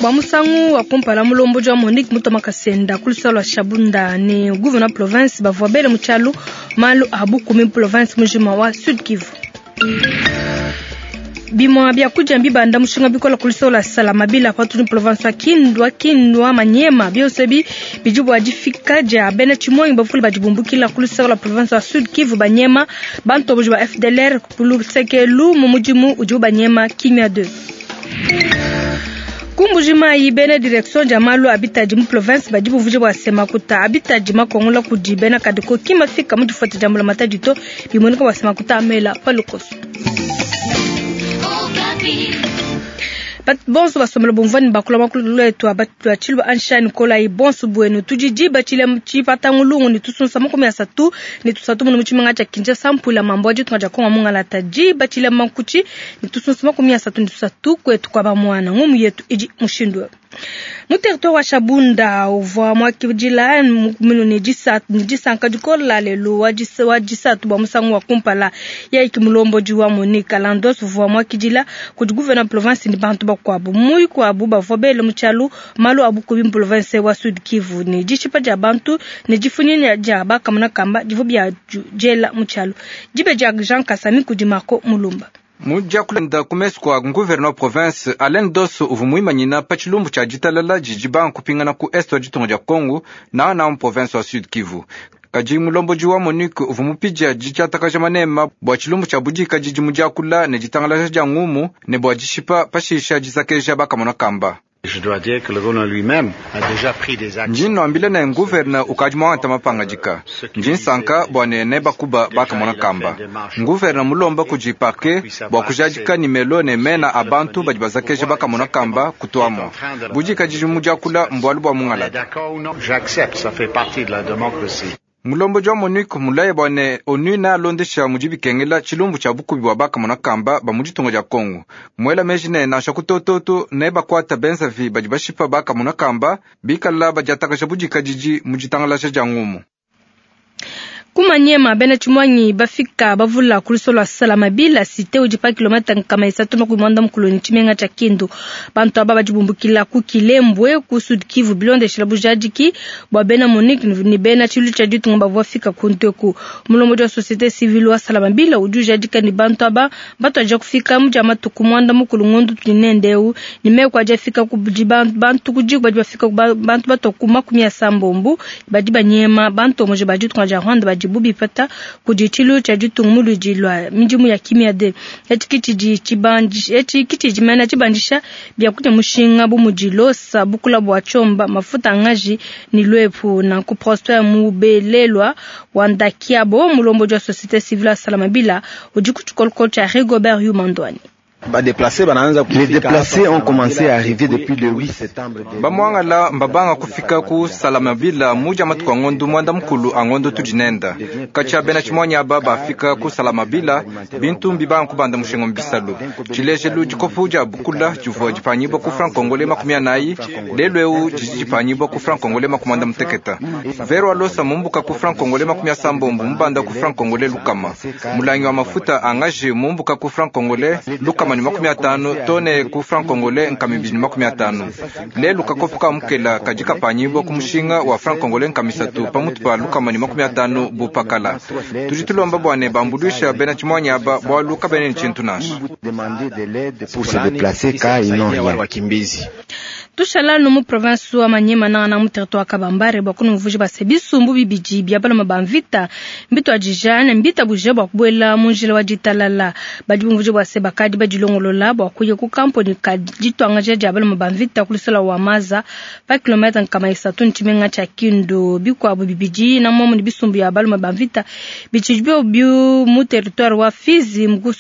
Bua musangu wa kumpala mulombodi wa Monique Mutoma Kasenda ku lusala lua Shabunda ne gouverneur province bavua bele mu tshialu malu a bukumi province mujima wa Sud Kivu. Bimua biakudia mbibanda mushinga bikola ku lusala lua Salamabila patudi province wa Kindu, Kindu Maniema. Bionso ebi bidi bua difika dia bena tshimonyi bavule badi bumbukila ku lusala lua province wa Sud Kivu banyema bantomboji ba FDLR ku lusekelu mu mudimu udibu banyema Kimia 2. Ku Mbuji-Mayi, bena direction dia malu a bitadi mu province badi buvuja bua se makuta a bitadi makongola kudi bena Kadeko ki mafika mu difuata dia mbulamatadi to, bimueneka bua se makuta amela pa lukoso. Bonso basombela bumvua ne bakula makulu etu a tshiluba anshani kolayi bonso buenu tudi diba tshile tshipatangulungu ne tusunsa 33 munu mu tshimenga tshia Kinshasa mpuila mambo a ditunga dia Kongo mungalata diba tshile mankuchi ne tusunsa 33 kwetu kwa bamwana ngumu yetu idi mushindu mu territoire wa Shabunda uvua mwakidila minu ne disanka dikola lelu wa disatu bua musangu wa kumpala yaiki mulombodi wa Monique Landos uvua mwakidila kudi gouverneur province ne bantu bakuabu muyikuabu bavua bele mu tshialu malu a bukubi mu province wa Sud Kivu ne dishipa dia bantu ne difunyina dia bakamuna kamba divua bia diela mu tshialu dibe dia Jean Kasami kudi Marco Mulumba. Mudiakulenda ku mesu kua gouverneur province Alain Dosso uvua muimanyina pa tshilumbu tshia ditalala didi banga kupingana ku est wa ditunga dia Congo na na mu province wa Sud Kivu. Kadi mulombodi wa Monique uvua mupidia ditshiatakaja manema bua tshilumbu tshia budika didi mudiakula ne ditangalaja dia ngumu ne bua dishipa pashisha dizakeja bakamona kamba. Ndi nwambile ne gouverneur ukadi muangata mapangadika. Ndi nsanka bua ne nebakuba bakamona kamba. Gouverneur mulomba kudi parquet bua kujadika nimelo ne mena a bantu badi bazakeja bakamona kamba kutuamo. Budika didi mudiakula mbualu bua mungalata. Mulombodi wa Monique mulaye bua ne ONU nealondesha mudi bikengela tshilumbu tshia bukubi bua bakamona kamba ba mu ditunga dia Kongo. Muela meji ne nansha kutototo ne bakuata benzavi badi bashipa bakamona kamba bikala badiatakaja budikadidi mu ditangalaja dia ngumu. Kumanyema bena tshimuanyi bafika bavula ku lusolo lua Salamabila cité udi pa kilomita 390 ne tshimenga tshia Kindu. Bantu aba badi bumbukila ku Kilembwe ku Sud Kivu bilondeshela bujadiki bua bena Monique ne bena tshilu tshia ditunga bavua bafika ku nteku. Mulombodi wa société civile wa Salamabila udi ujadika ne bantu aba batuadija kufika mu dia matuku 9 ngondo tudi nende ne meku adi afika ku bantu ku diku badi bafika bantu batua ku 80 badi banyema bantu omoje ba ditunga dia Rwanda badi bubipata kudi tshilu tshia ditunga muludi lwa midimu ya kimia de etshi kitshidi mena tshibandisha biakudia mushinga bu mudi losa bukula bua tshomba mafuta angaji ni lwepu. Nanku Prosper Mubelelwa wa Ndakiabo mulombodi wa société civile ya Salamabila udi ku tshikolokolo tshia Rigobert Yumandwani. Les déplacés ont commencé à arriver depuis le 8 septembre. Bamwangala mbabanga kufika ku Salamabila muja matuku angondo mwanda mukulu angondo tudinenda. Kacha bena tshimuanyi aba bafika ku Salamabila bintu mbibanga kubanda mushinga mbisalu. Tshilejelu dikopu dia bukula divua dipanyibwa ku franc congolais 40 lelu eu didi dipanyibwa ku franc congolais 68. Vero alosa mumbuka ku franc congolais 80 mubanda ku franc congolais lukama. Mulangi wa mafuta angaje mumbuka ku franc congolais lukama 50 tone ku franc congolais 250. Lelu kakopu ka mukela kadi kapanyibwa ku mushinga wa franc congolais 3 pamutu pa lukama ni 50 bupakala. Tudi tulomba bua ne bambuluisha bena tshimuanyi aba bualu kabene ne tshintu nansha. Pour se déplacer car ils n'ont rien. Tushala no mu province wa Maniema na na mu territoire Kabambare bua kunuvuja base bisumbu bibidi bia baloma ba mvita mbito adija na mbita buja bua kubuela mu njila wa ditalala badi bumvuja bua se bakadi badilongolola bua kuya ku kamponi ka ditwangaja dia baloma ba mvita ku lusala wa Maza pa kilomita 3 ntshimenga tshia Kindu bikuabu bibidi na momu ni bisumbu ya baloma ba mvita bitshidi bio mu territoire wa Fizi mu ku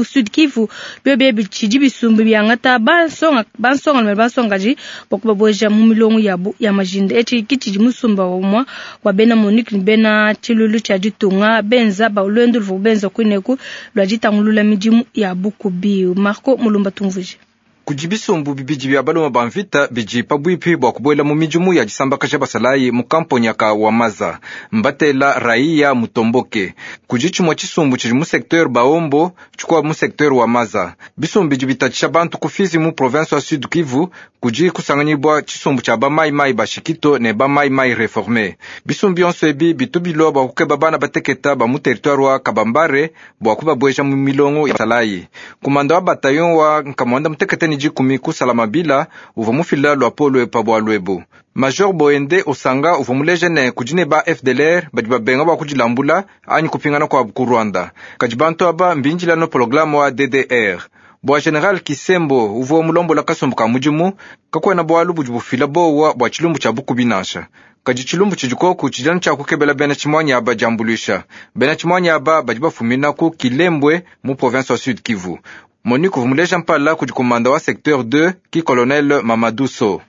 Sud Kivu bio bia bitshidi bisumbu biangata bansonga bansonga bansongaji bakubaboja mu milongo yabu ya majinda etshi kitshidi musumba wa umwa wa bena Monique ni bena tshilulu tshia ditunga benza ba lwendo luvu benza kuineku lwa ditangulula midimu ya bukubi. Marco Mulumba tumvuje. Kudi bisumbu bibidi bia baluma ba mvita bidi pabuipi bua kubuela mu midimu ya disambakaja basalayi mu kamponya ka Wamaza. Mbatela Raia Mutomboke. Kudi tshimue tshisumbu tshidi mu secteur Baombo, tshikuabu mu secteur Wamaza. Bisumbu bidi bitatshisha bantu ku Fizi mu province wa Sud Kivu. Kudi kusanganyibua tshisumbu tshia ba Mai Mai Bashikito ne ba Mai Mai Reforme. Bisumbu bionso ebi bitu bilua bua kukeba bana bateketa ba mu territoire wa Kabambare bua kubabueja mu milongo ya basalayi. Kumanda wa bataillon wa nkamwanda mutekete ne dikumi ku Salamabila uvua mufila luapolo pa bualu ebu. Major Boende Osanga uvua muleja ne kudi ne ba FDLR badi babenga bua kudilambula anyi kupingana kuabu ku Rwanda. Kadi bantu aba mbindila no programme wa DDR. Bua General Kisembo uvua mulombola kasumbu ka mudimu, kakuena bualu budi bufila bowa bua tshilumbu tshia bukubi nansha. Kadi tshilumbu tshidi koku tshidi anu tshia kukebela bena tshimuanyi aba diambuluisha. Bena tshimuanyi aba badi bafumina ku Kilembwe mu province wa Sud Kivu. Monique uvua muleja mpala kudi komanda wa secteur 2 ki colonel Mamadou Sow.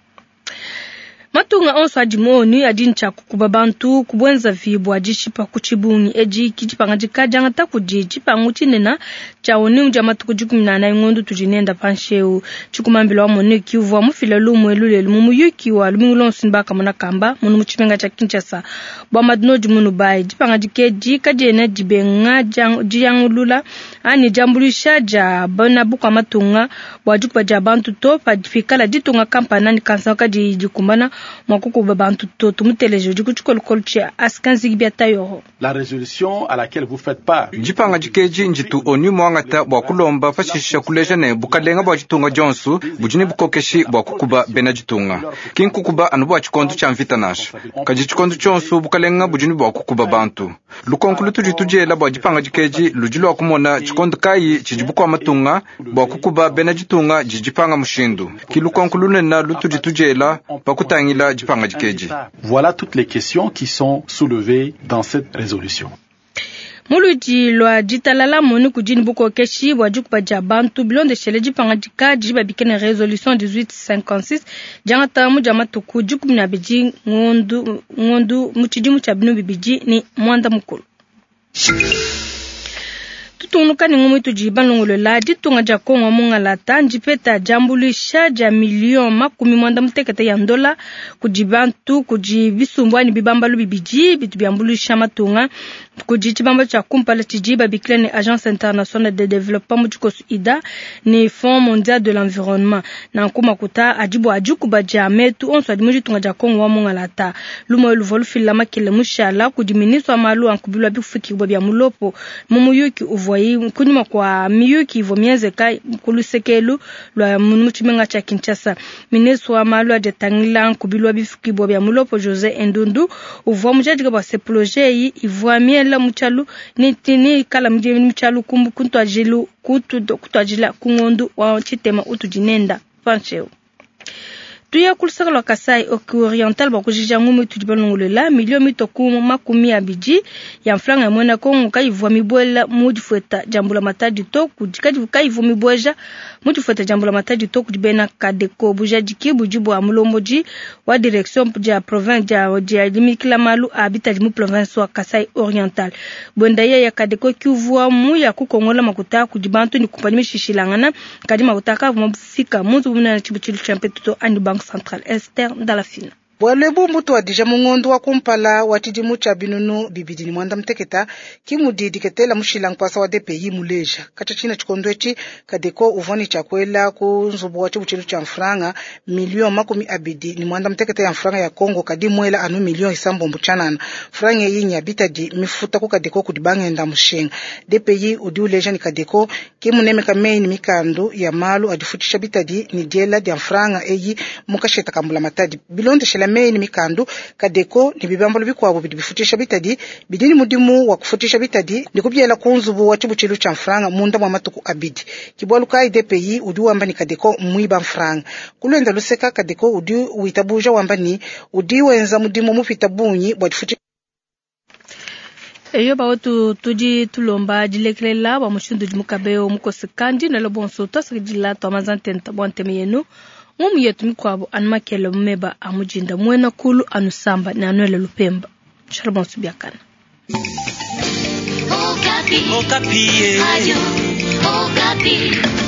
Matunga onso adi mu ONU adi ne tshia kukuba bantu ku buenzavi bua dishipa ku tshibungi. Edi ke dipangadika diangata kudi tshipangu tshinene tshia ONU dia matuku 14 ngondo tudi nenda panshi eu. Tshikumambila wa MONUC uvua mufile lumu elu lelu mu muyuki wa lumingu luonso ne bakamona kamba munu mu tshimenga tshia Kinshasa. Bua Madnodi Munubayi, dipangadika edi kadiena dibenga diangulula anyi diambuluisha dia bena bukua matunga bua dikuba dia bantu to pikala ditunga kampanda ne kansanga kadiyi dikumbana mua kukuba bantu to. Tumuteleje udi ku tshikolokolo tshia Askanzigi bia Tayoro. La résolution à laquelle vous faites part. Dipangadika edi nditu ONU muangata bua kulomba pashisha kuleja ne bukalenga bua ditunga dionso budi ne bukokeshi bua kukuba bena ditunga. Ki nkukuba anu bua tshikondo tshia mvita nansha, kadi tshikondo tshionso bukalenga budi ne bua kukuba bantu. Lukonko lutudi tudiela bua dipangadika edi ludi lua kumona tshikondo kayi tshidi bukua matunga bua kukuba bena ditunga didi dipanga mushindu. Ki lukonko lunene lutudi tudiela pa kutangila dipangadika edi. Voilà toutes les questions qui sont soulevées dans cette résolution. Muludi lua ditalala MONUC kudi ne bukokeshi bua dikuba dia bantu bilondeshele dipangadika didi babike ne resolution 1856 diangata mu dia matuku 12 ngondu mu tshidimu tshia 2010. Tutungunuka ne ngumu itudi balongolola ditunga dia Kongo mungalata ndipeta diambuluisha dia million 86 ya ndola kudi bantu kudi bisumbu anyi bibambalu bibidi bitu biambuluisha matunga kudi tshibambalu tshia kumpala tshidi babikila ne Agence internationale de développement mu tshikoso IDA ne Fonds mondial de l'environnement. Nanku makuta adi bua dikuba dia metu onso adi mu ditunga dia Kongo wa mungalata. Lumu luvua lufila makele mushala kudi ministre wa malu a nkubilu wa bifukiwa bia mulopo mu muyuki uvua kunyima kwa miyuki ivua mienzeka ku lusekelu lua mu tshimenga tshia Kinshasa. Ministre wa malu adi atangila nkubilu wa bifukibwa bia mulopo José Endundu uvua mujadika bua se projet eyi ivua miela mu tshialu ni kala mu tshialu kutuajilu kutuajila ku ngondu wa tshitema utudi nenda pancheu. Tuya kulusaka lwa Kasai Oriental bua kujija ngumu itudi balongolola milio mitoku 20 ya mfranga ya mwena Kongo kaivua mibwela mu difueta dia mbula matadi to kudi kaivua mibweja mu difueta dia mbula matadi to kudi bena Kadeko bujadiki budi bua mulombodi wa direction dia province dia limikila malu a bitadi mu province wa Kasai Oriental. Bwenda ya Kadeko kivua mu ya kukongola makuta kudi bantu ni kumpanyi mishishilangana kadi makuta kavua mafika mu nzubu munene tshibutshilu tshia mpetuto ani Banque Centrale Esther Ndalafina. Bwalo ebu mbutuadija mu ngondo wa kumpala wa tshidimu tshia 2016 kimudi diketela mushila nkwasa wa DPI muleja katsha tshina tshikondo etshi Kadeko uvua ne tshiakuela ku nzubu wa tshibutshilu tshia mfranga million 26 ya mfranga ya Kongo kadi mwela anu million 9 tshanana franga eyi nya bitadi mifuta ku Kadeko kudi bangenda mushinga. DPI udi uleja ni Kadeko kimunemeka meyi ni mikandu ya malu adifutisha bitadi ni diela dia mfranga eyi mukasheta kambula matadi bilondeshela meyi ni mikandu Kadeko ni bibambalo bikuabo bidi bifutisha bitadi bidi ni mudimu wa kufutisha bitadi ni kubyela ku nzubu wa tshibutshilu tshia mfranga munda mwa matuku abidi. Kibwalu kai DPI udi wamba ni Kadeko mwiba mfranga kulwenda luseka Kadeko udi witabuja wamba ni udi wenza mudimu mupita bunyi bwa difutisha. Eyo bawetu tudi tulomba dilekelela bua mushindu udi mukabeo mukosekandi nelo bonso twasakidila twamaza ntenta bua nteme yenu ngumu yetu mikuabo anu makele mumeba a mujinda muena kulu anu samba ne anuele lupemba. Shalom bonso biakana. Okapi. Okapi. Ayo, Okapi.